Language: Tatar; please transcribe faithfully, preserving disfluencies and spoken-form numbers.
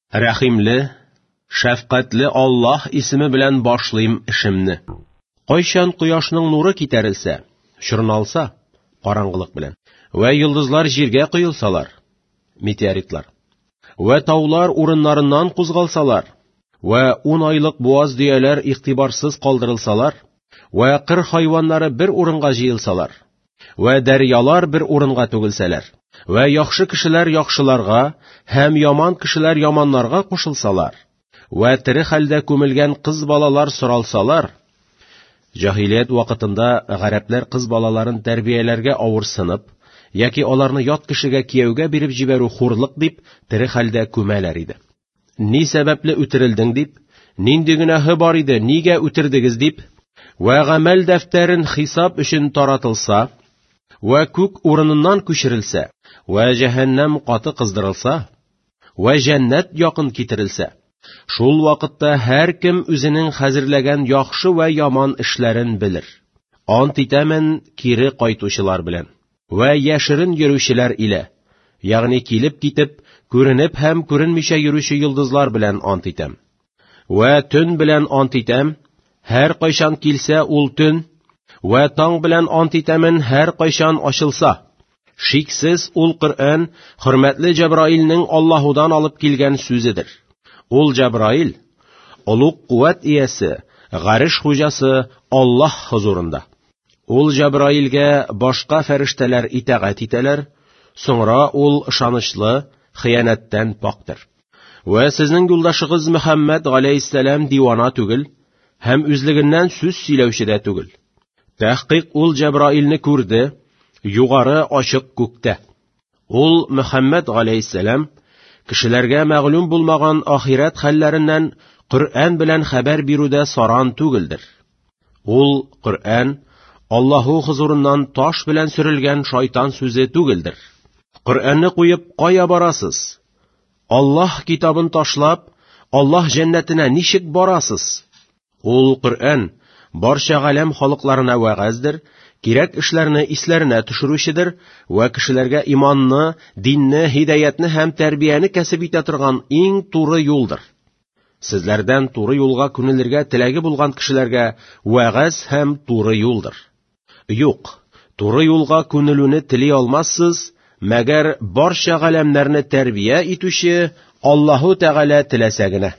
Рәхимле, шәфкатьле Аллаһ исеме белән башлыйм эшемне. Кайчан кояшның нуры китәрелсә, чорналса, караңгылык белән, вә йолдызлар җиргә коелсалар, метеоритлар, вә таулар урыннарыннан кузгалсалар, вә ун айлык буаз дөяләр игътибарсыз калдырылсалар, вә кыр хайваннары бер урынга җыелсалар, вә дәрьялар бер урынга түгелсәләр, вә яхшы кешеләр яхшыларга һәм яман кешеләр яманнарга кушылсалар, вә тере хәлдә күмелгән кыз балалар соралсалар. Җаһилият вакытында гарәпләр кыз балаларын тәрбияләргә авырсынып, яки аларны ят кешегә кияүгә биреп җибәрү хурлык дип, тере хәлдә күмәләр иде. Ни сәбәпле үтерелдең дип, нинди гөнаһы бар иде, нигә үтердегез дип, вә гамәл дәфтәрен хисап өчен таратылса, вә күк урыныннан күчерелсә, вә җәһәннәм каты кыздырылса, вә җәннәт якын китерелсә, шул вакытта һәркем үзенең хәзерләгән яхшы вә яман эшләрен белер. Ант итәмен кире кайтучылар белән, вә яшерен йөрүчеләр илә, ягъни килеп китеп, күренеп һәм күренмичә йөрүче йолдызлар белән ант итәм. Вә төн белән ант итәм, һәр кайчан килсә ул төн, вә таң белән ант итәмен һәр кайчан ачылса. Шиксез ул Коръән хөрмәтле Җәбраилнең Аллаһудан алып килгән сүзедер. Ул Җәбраил, олуг куәт иясе, гареш хуҗасы Аллаһ хузурында. Ул Җәбраилгә башка фәрештәләр итагать итәләр, соңра ул ышанычлы, хыянәттән пактыр. Вә сезнең юлдашыгыз Мөхәммәд галәйһиссәлам дивана түгел һәм үзлегеннән сүз сөйләүче дә түгел. Тәхкыйк ул Җәбраилне күрде, югары ачык күктә. Ул Мөхәммәд галәйһиссәлам кешеләргә мәгълүм булмаган ахирәт хәлләреннән Коръән белән хәбәр бирүдә саран түгелдер. Ул Коръән Аллаһу хузурыннан таш белән сөрелгән шайтан сүзе түгелдер. Коръәнне куеп кая барасыз? Аллаһ китабын ташлап, Аллаһ җәннәтенә ничек барасыз? Ул Коръән барча галәм халыкларына вәгазьдер, кирәк эшләрне исләренә төшерүчедер вә кешеләргә иманны, динне, һидаятны һәм тәрбияне кәсеп итә торган иң туры юлдыр. Сезләрдән туры юлга күнелергә теләге булган кешеләргә вәгазь һәм туры юлдыр. Юк, туры юлга күнелүне тели алмассыз, мәгәр барча галәмнәрне тәрбия итүче Аллаһу Тәгалә теләсә генә.